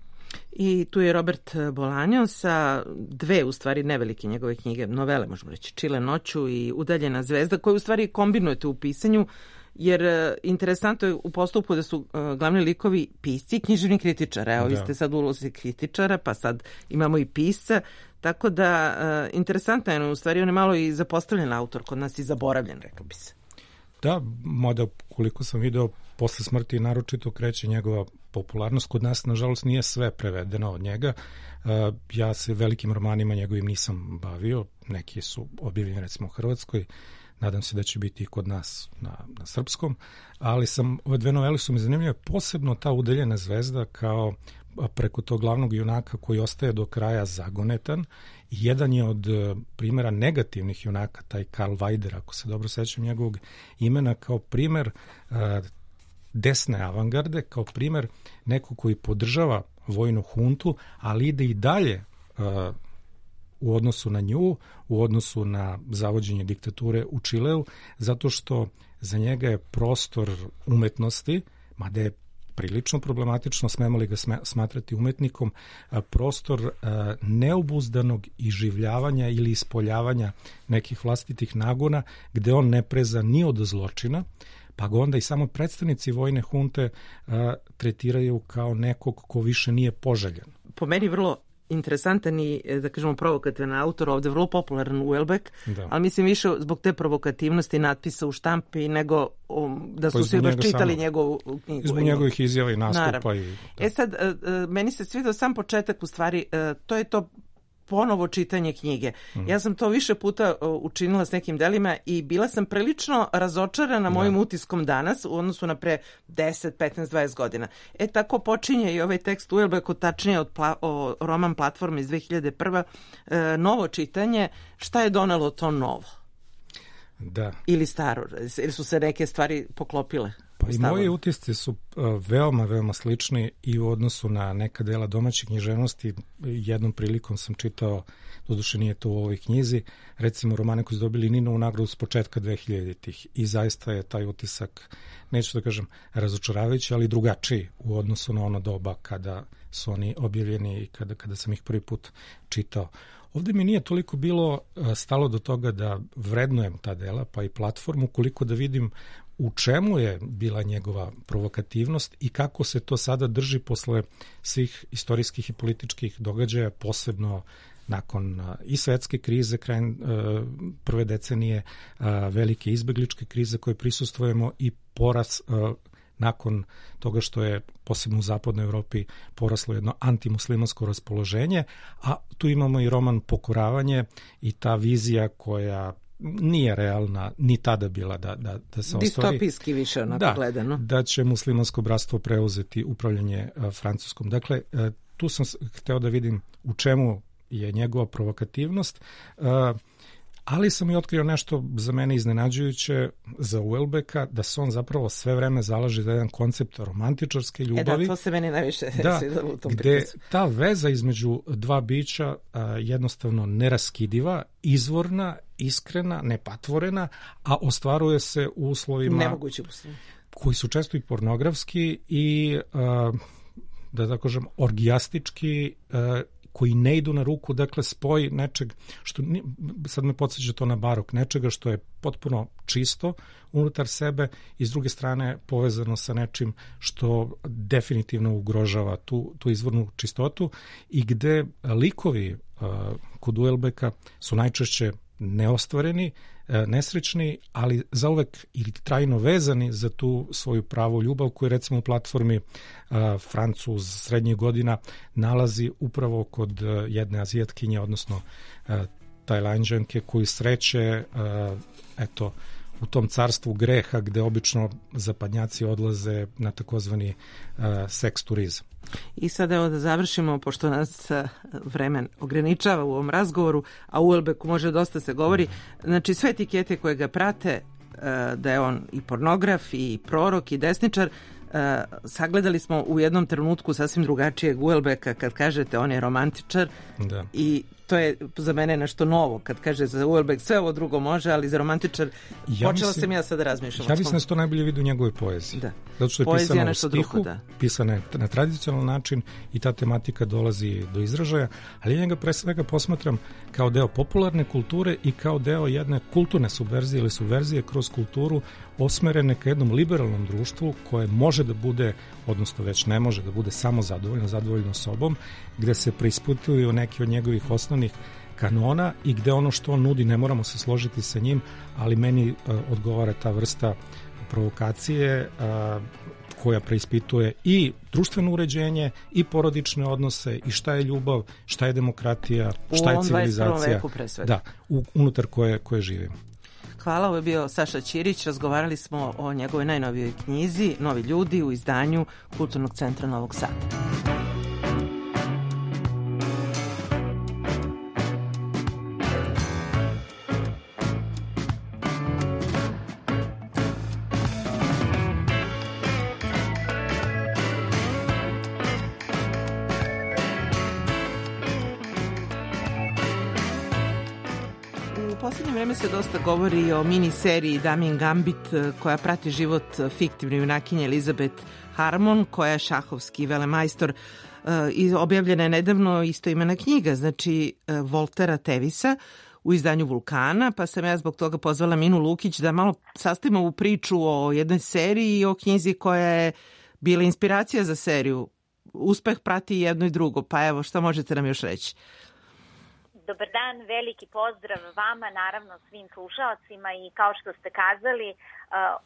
Speaker 3: I tu je Robert Bolaño sa dve, u stvari, nevelike njegove knjige, novele, možemo reći, Čile noću i Udaljena zvezda, koje u stvari kombinujete u pisanju, jer interesantno je u postupku da su uh, glavni likovi pisci i književni kritičar. Evo, vi ste sad u ulozi kritičara, pa sad imamo i pisca, tako da uh, interesantno je, u stvari on je malo i zapostavljen autor, kod nas i zaboravljen, rekao bi se.
Speaker 7: Da, mada koliko sam video, posle smrti naročito kreće njegova popularnost. Kod nas, nažalost, nije sve prevedeno od njega. Ja se velikim romanima njegovim nisam bavio, neki su objavljeni recimo u Hrvatskoj, nadam se da će biti i kod nas na, na srpskom, ali sam, ove dve novele su mi zanimljive, posebno ta Udaljena zvezda kao preko tog glavnog junaka koji ostaje do kraja zagonetan. I jedan je od primjera negativnih junaka, taj Karl Vajder, ako se dobro sećam njegovog imena, kao primjer uh, desne avangarde, kao primjer nekog koji podržava vojnu huntu, ali ide i dalje uh, u odnosu na nju, u odnosu na zavođenje diktature u Čileu, zato što za njega je prostor umetnosti, mada je prilično problematično, smemo li ga smatrati umetnikom, prostor neobuzdanog iživljavanja ili ispoljavanja nekih vlastitih nagona, gde on ne preza ni od zločina, pa ga onda i samo predstavnici vojne hunte tretiraju kao nekog ko više nije poželjen.
Speaker 3: Po meni vrlo interesantan i, da kažemo, provokativan autor, ovde vrlo popularan Houellebecq, da. Ali mislim više zbog te provokativnosti natpisa u štampi nego um, da su pa svi baš čitali samo njegovu knjigu.
Speaker 7: Zbog njegovih izjava i nastupa. I,
Speaker 3: e sad, meni se svidio sam početak, u stvari, to je to ponovo čitanje knjige. Mm. Ja sam to više puta učinila s nekim delima i bila sam prilično razočarana mojim da. utiskom danas u odnosu na pre deset, petnaest, dvadeset godina. E tako počinje i ovaj tekst Houellebecqu, tačnije od pla, o, roman Platforma iz dve hiljade prve. E, novo čitanje. Šta je donelo to novo?
Speaker 7: Da.
Speaker 3: Ili staro? Ili su se neke stvari poklopile?
Speaker 7: Pa i moji utisci su uh, veoma, veoma slični i u odnosu na neka dela domaće književnosti. Jednom prilikom sam čitao, doduše nije to u ovoj knjizi, recimo romane koji su dobili Ninovu nagradu s početka dve hiljaditih i zaista je taj utisak, neću da kažem razočaravajući, ali drugačiji u odnosu na ono doba kada su oni objavljeni i kada, kada sam ih prvi put čitao. Ovde mi nije toliko bilo stalo do toga da vrednujem ta dela, pa i Platformu, koliko da vidim u čemu je bila njegova provokativnost i kako se to sada drži posle svih istorijskih i političkih događaja, posebno nakon i svetske krize, krajem prve decenije, velike izbegličke krize koje prisustvujemo i poraz nakon toga što je posebno u zapadnoj Evropi poraslo jedno antimuslimansko raspoloženje, a tu imamo i roman Pokoravanje i ta vizija koja nije realna, ni tada bila da, da, da se ostvari.
Speaker 3: Distopijski više onako
Speaker 7: da,
Speaker 3: gledano.
Speaker 7: Da će muslimansko bratstvo preuzeti upravljanje a, Francuskom. Dakle, a, tu sam hteo da vidim u čemu je njegova provokativnost, a, ali sam i otkrio nešto za mene iznenađujuće za Houellebecqa, da se on zapravo sve vreme zalaže za jedan koncept romantičarske ljubavi.
Speaker 3: E da, to se meni najviše
Speaker 7: da,
Speaker 3: svidalo u tom
Speaker 7: gde
Speaker 3: pripisu.
Speaker 7: Ta veza između dva bića a, jednostavno neraskidiva, izvorna, iskrena, nepatvorena, a ostvaruje se u uslovima
Speaker 3: nemoguće uslovi
Speaker 7: koji su često i pornografski i a, da tako kažem orgijastički, a, koji ne idu na ruku, dakle spoj nečeg što, sad me podsjeća to na barok, nečega što je potpuno čisto unutar sebe i s druge strane povezano sa nečim što definitivno ugrožava tu, tu izvornu čistotu i gde likovi uh, kod Houellebecqa su najčešće neostvareni, nesrećni, ali zauvek ili trajno vezani za tu svoju pravu ljubav koju recimo u Platformi uh, Francuz srednjih godina nalazi upravo kod uh, jedne azijatkinje, odnosno uh, Tajlanđanke koju sreće uh, eto u tom carstvu greha gde obično zapadnjaci odlaze na takozvani uh, seks turizam.
Speaker 3: I sad evo da završimo, pošto nas vremen ograničava u ovom razgovoru, a u Houellebecqu može dosta se govori, znači sve etikete koje ga prate, da je on i pornograf, i prorok, i desničar, sagledali smo u jednom trenutku sasvim drugačijeg Houellebecqa kad kažete on je romantičar da. I to je za mene nešto novo kad kaže za Houellebecq sve ovo drugo može, ali za romantičar ja počela mislim, sam ja sad da razmišljam.
Speaker 7: Ja mislim da se to najbolje vidi u njegovoj poeziji. Da. Zato što je
Speaker 3: poezija
Speaker 7: pisana u stihu,
Speaker 3: drugo, da.
Speaker 7: pisana je na tradicionalan način i ta tematika dolazi do izražaja, ali ja njega pre svega posmatram kao deo popularne kulture i kao deo jedne kulturne subverzije ili subverzije kroz kulturu osmerene ka jednom liberalnom društvu koje može da bude, odnosno već ne može da bude samo zadovoljno, zadovoljno sobom, gde se preispituju neki od njegovih osnovnih kanona i gde ono što on nudi ne moramo se složiti sa njim, ali meni uh, odgovara ta vrsta provokacije uh, koja preispituje i društveno uređenje i porodične odnose i šta je ljubav, šta je demokratija, šta je civilizacija.
Speaker 3: Veku pre svega.
Speaker 7: Da, u, unutar koje, koje živimo.
Speaker 3: Hvala, ovo je bio Saša Ćirić. Razgovarali smo o njegovoj najnovijoj knjizi Novi ljudi u izdanju Kulturnog centra Novog Sada. U posljednje vreme se dosta govori o mini seriji Damien Gambit koja prati život fiktivne junakinje Elizabeth Harmon, koja je šahovski velemajstor, i objavljena je nedavno istoimena knjiga, znači Voltera Tevisa, u izdanju Vulkana, pa sam ja zbog toga pozvala Minu Lukić da malo sastavimo ovu priču o jednoj seriji i o knjizi koja je bila inspiracija za seriju. Uspeh prati jedno i drugo, pa evo, šta možete nam još reći?
Speaker 9: Dobar dan, veliki pozdrav vama, naravno svim slušalcima, i kao što ste kazali, uh,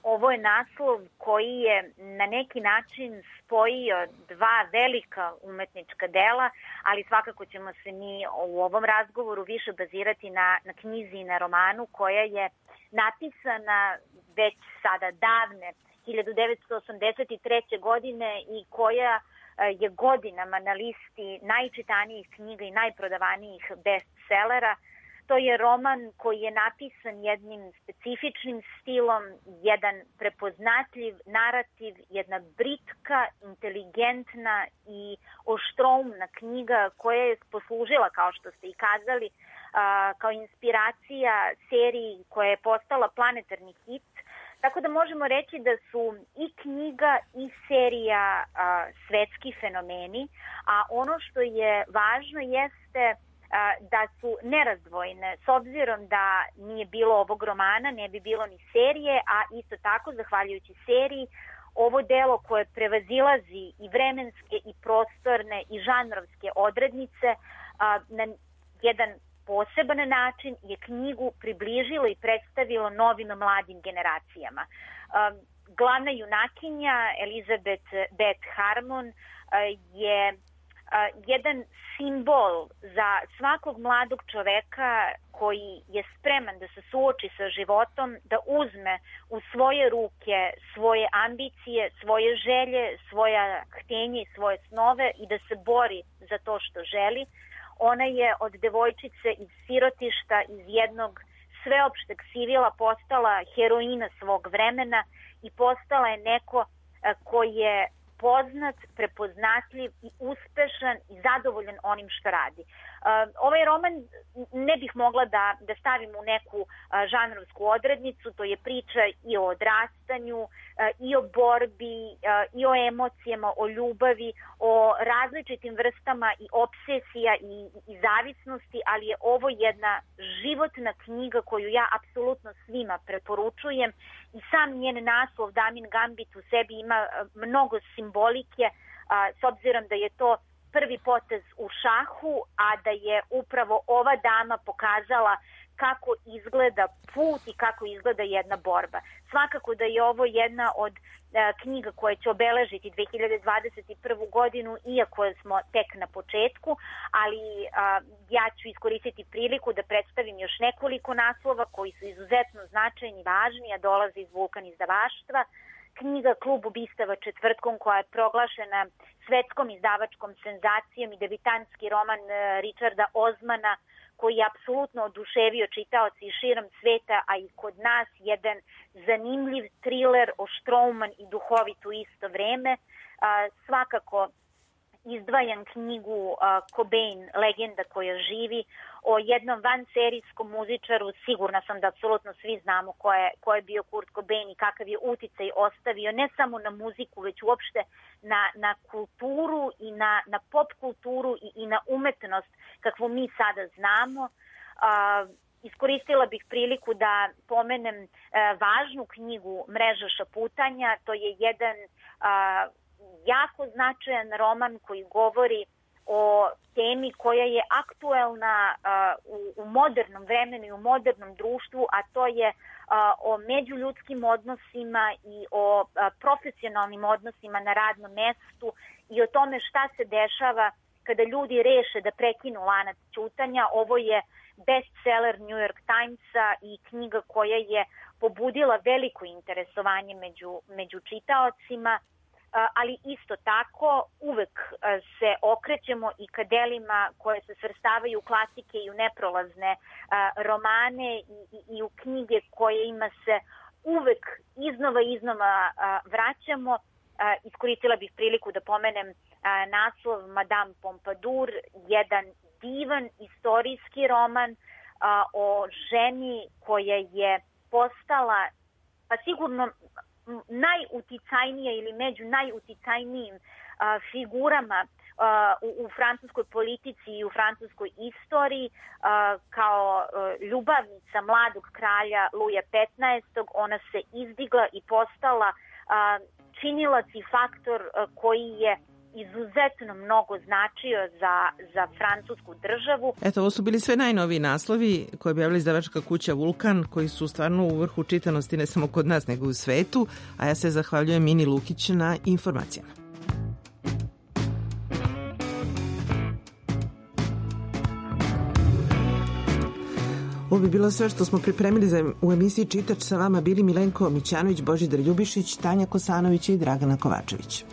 Speaker 9: ovo je naslov koji je na neki način spojio dva velika umetnička dela, ali svakako ćemo se mi u ovom razgovoru više bazirati na, na knjizi i na romanu koja je napisana već sada davne hiljadu devetsto osamdeset treće. godine i koja je godinama na listi najčitanijih knjiga i najprodavanijih bestsellera. To je roman koji je napisan jednim specifičnim stilom, jedan prepoznatljiv narativ, jedna britka, inteligentna i oštroumna knjiga koja je poslužila, kao što ste i kazali, kao inspiracija seriji koja je postala planetarni hit. Tako da možemo reći da su i knjiga i serija a, svetski fenomeni, a ono što je važno jeste a, da su nerazdvojne. S obzirom da nije bilo ovog romana, ne bi bilo ni serije, a isto tako, zahvaljujući seriji, ovo delo koje prevazilazi i vremenske i prostorne i žanrovske odrednice a, na jedan poseban način je knjigu približilo i predstavilo novim mladim generacijama. Uh, glavna junakinja Elizabeth Beth Harmon uh, je uh, jedan simbol za svakog mladog čoveka koji je spreman da se suoči sa životom, da uzme u svoje ruke svoje ambicije, svoje želje, svoja htenja i svoje snove i da se bori za to što želi. Ona je od devojčice iz sirotišta, iz jednog sveopšteg sivila postala heroina svog vremena i postala je neko ko je poznat, prepoznatljiv i uspešan i zadovoljan onim što radi. Ovaj roman ne bih mogla da, da stavim u neku žanrovsku odrednicu, to je priča i o odrastanju, i o borbi, i o emocijama, o ljubavi, o različitim vrstama i obsesija i, i zavisnosti, ali je ovo jedna životna knjiga koju ja apsolutno svima preporučujem i sam njen naslov Damien Gambit u sebi ima mnogo simbolike, s obzirom da je to prvi potez u šahu, a da je upravo ova dama pokazala kako izgleda put i kako izgleda jedna borba. Svakako da je ovo jedna od e, knjiga koje će obeležiti dve hiljade dvadeset prvu. godinu, iako smo tek na početku, ali a, ja ću iskoristiti priliku da predstavim još nekoliko naslova koji su izuzetno značajni i važni, a dolaze iz Vulkan izdavaštva. Knjiga Klub ubistava četvrtkom, koja je proglašena svetskom izdavačkom senzacijom, i debitanski roman Richarda Osmana, koji je apsolutno oduševio čitaoci širom sveta, a i kod nas jedan zanimljiv triler, oštrouman i duhovit u isto vreme. Svakako izdvajam knjigu uh, Cobain, legenda koja živi, o jednom vanserijskom muzičaru. Sigurna sam da apsolutno svi znamo ko je, ko je bio Kurt Cobain i kakav je uticaj ostavio ne samo na muziku, već uopšte na, na kulturu i na, na pop kulturu i, i na umetnost kakvu mi sada znamo. Uh, Iskoristila bih priliku da pomenem uh, važnu knjigu Mreža šaputanja. To je jedan uh, jako značajan roman koji govori o temi koja je aktuelna uh, u, u modernom vremenu i u modernom društvu, a to je uh, o međuljudskim odnosima i o uh, profesionalnim odnosima na radnom mestu i o tome šta se dešava kada ljudi reše da prekinu lanac ćutanja. Ovo je bestseller New York Timesa i knjiga koja je pobudila veliko interesovanje među, među čitaocima, ali isto tako uvek se okrećemo i ka delima koje se svrstavaju u klasike i u neprolazne romane i, i, i u knjige koje ima se uvek iznova i iznova vraćamo. Iskoristila bih priliku da pomenem naslov Madame Pompadour, jedan divan istorijski roman o ženi koja je postala pa sigurno najuticajnija ili među najuticajnijim a, figurama a, u, u francuskoj politici i u francuskoj istoriji a, kao a, ljubavnica mladog kralja Luja petnaestog. Ona se izdigla i postala a, činilac i faktor a, koji je izuzetno mnogo značio za, za francusku državu.
Speaker 3: Eto, ovo su bili sve najnoviji naslovi koje je objavila izdavačka kuća Vulkan, koji su stvarno u vrhu čitanosti ne samo kod nas, nego i u svetu, a ja se zahvaljujem Mini Lukić na informacijama. Ovo bi bilo sve što smo pripremili za u emisiji Čitač. Sa vama bili Milenko Mićanović, Božidar Ljubišić, Tanja Kosanović i Dragana Kovačević.